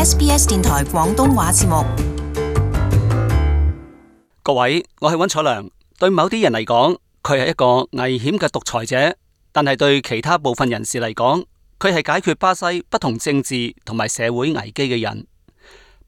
SBS 電台廣東話節目。各位，我係溫楚良。對某啲人嚟講，佢係一個危險嘅獨裁者，但係對其他部分人士嚟講，佢係解決巴西不同政治同埋社會危機嘅人。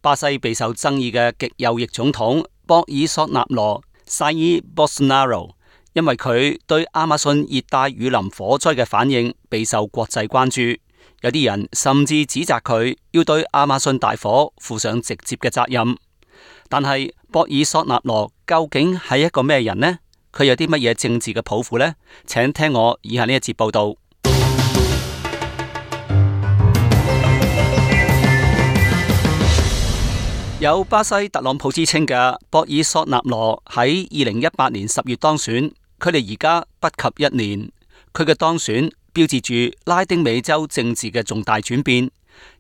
巴西備受爭議嘅極右翼總統博爾索納羅 Jair Bolsonaro， 因為佢對亞馬遜熱帶雨林火災嘅反應備受國際關注。有啲人甚至指責佢要對亞馬遜大火負上直接嘅責任。但係博爾索納羅究竟係一個咩人呢？佢有啲乜嘢政治嘅抱負呢？請聽我以下呢一節報道。有巴西特朗普之稱嘅博爾索納羅喺2018年10月當選，距離而家不及1年。佢嘅當選標誌住拉丁美洲政治嘅重大轉變，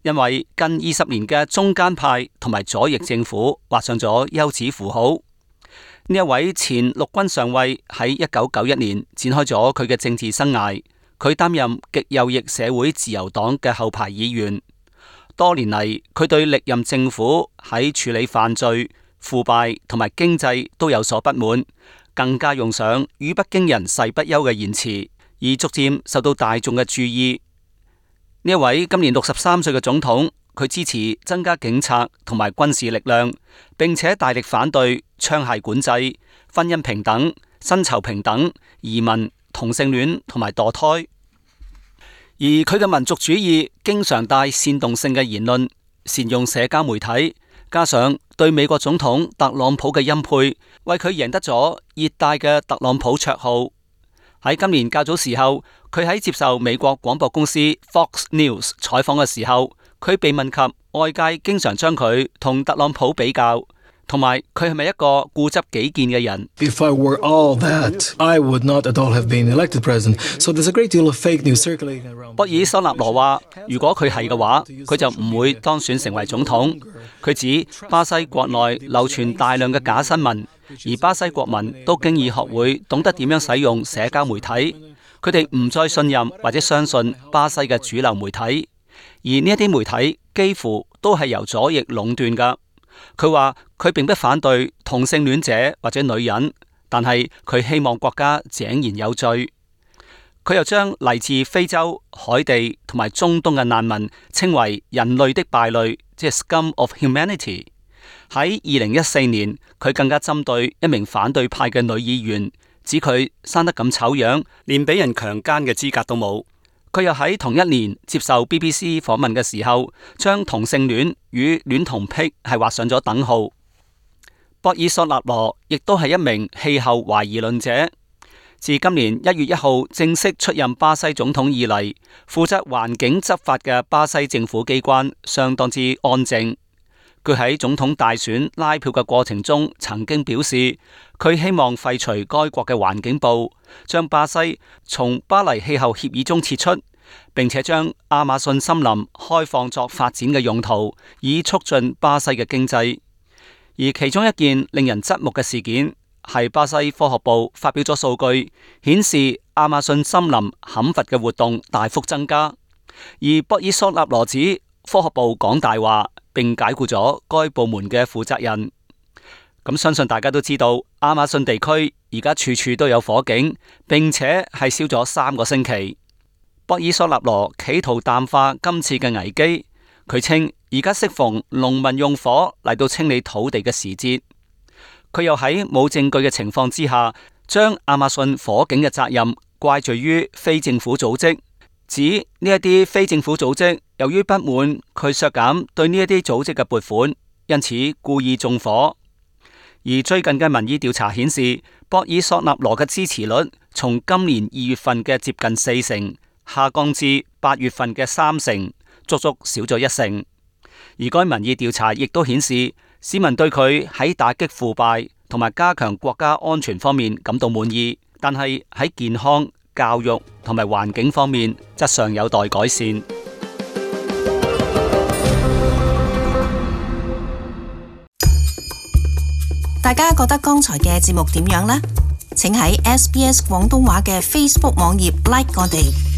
因為近20年嘅中間派同埋左翼政府畫上咗休止符號。呢一位前陸軍上尉喺1991年展開咗佢嘅政治生涯，佢擔任極右翼社會自由黨嘅後排議員。多年嚟，佢對歷任政府喺處理犯罪、腐敗同埋經濟都有所不滿，更加用上語不驚人誓不休嘅言辭，而逐漸受到大眾嘅注意。呢一位今年63歲嘅總統，佢支持增加警察同埋軍事力量，並且大力反對槍械管制、婚姻平等、薪酬平等、移民、同性戀同埋墮胎。而佢嘅民族主義經常帶煽動性嘅言論，善用社交媒體，加上對美國總統特朗普嘅欽佩，為佢贏得咗熱帶嘅特朗普綽號。喺今年較早時候，佢喺接受美國廣播公司 Fox News 採訪嘅時候，佢被問及外界經常將佢同特朗普比較，同埋佢係咪一個固執己見嘅人。If I were all that, I would not at all have been elected president. So there's a great deal of fake news circulating around. 博爾索納羅話，如果佢係嘅話，佢就唔會當選成為總統。佢指巴西國內流傳大量嘅假新聞，而巴西國民都經已學會懂得點樣使用社交媒體，佢哋唔再信任或者相信巴西嘅主流媒體，而呢一啲媒體幾乎都係由左翼壟斷㗎。佢話佢並不反對同性戀者或者女人，但係佢希望國家井然有序。佢又將嚟自非洲、海地同埋中東嘅難民稱為人類的敗類，即係 scum of humanity。喺2014年，佢更加針對一名反對派嘅女議員，指佢生得咁醜樣，連俾人強姦嘅資格都冇。佢又喺同一年接受 BBC 訪問嘅時候，將同性戀與戀童癖係畫上咗等號。博爾索納羅亦都係一名氣候懷疑論者。自今年1月1號正式出任巴西總統以嚟，負責環境執法嘅巴西政府機關相當之安靜。佢喺總統大選拉票嘅過程中曾經表示，佢希望廢除該國嘅環境部，將巴西從巴黎氣候協議中撤出，並且將亞馬遜森林開放作發展嘅用途，以促進巴西嘅經濟。而其中一件令人側目嘅事件係巴西科學部發表咗數據，顯示亞馬遜森林砍伐嘅活動大幅增加。而博爾索納羅指科學部講大話，並解雇咗該部門嘅負責人。咁相信大家都知道，亞馬遜地區而家處處都有火警，並且係燒咗3個星期。博爾索納羅企圖淡化今次嘅危機，佢稱而家適逢農民用火嚟到清理土地嘅時節。佢又喺冇證據嘅情況之下，將亞馬遜火警嘅責任怪罪於非政府組織，指呢一啲非政府組織由於不滿佢削減對呢一啲組織嘅撥款，因此故意縱火。而最近嘅民意調查顯示，博爾索納羅嘅支持率從今年2月份嘅接近4成，下降至8月份嘅3成，足足少咗1成。而該民意調查亦都顯示，市民對佢喺打擊腐敗同埋加強國家安全方面感到滿意，但係喺健康、教育同埋環境方面則尚有待改善。大家覺得剛才嘅節目點樣呢？請喺SBS 廣東話嘅 Facebook 網頁 like 我哋。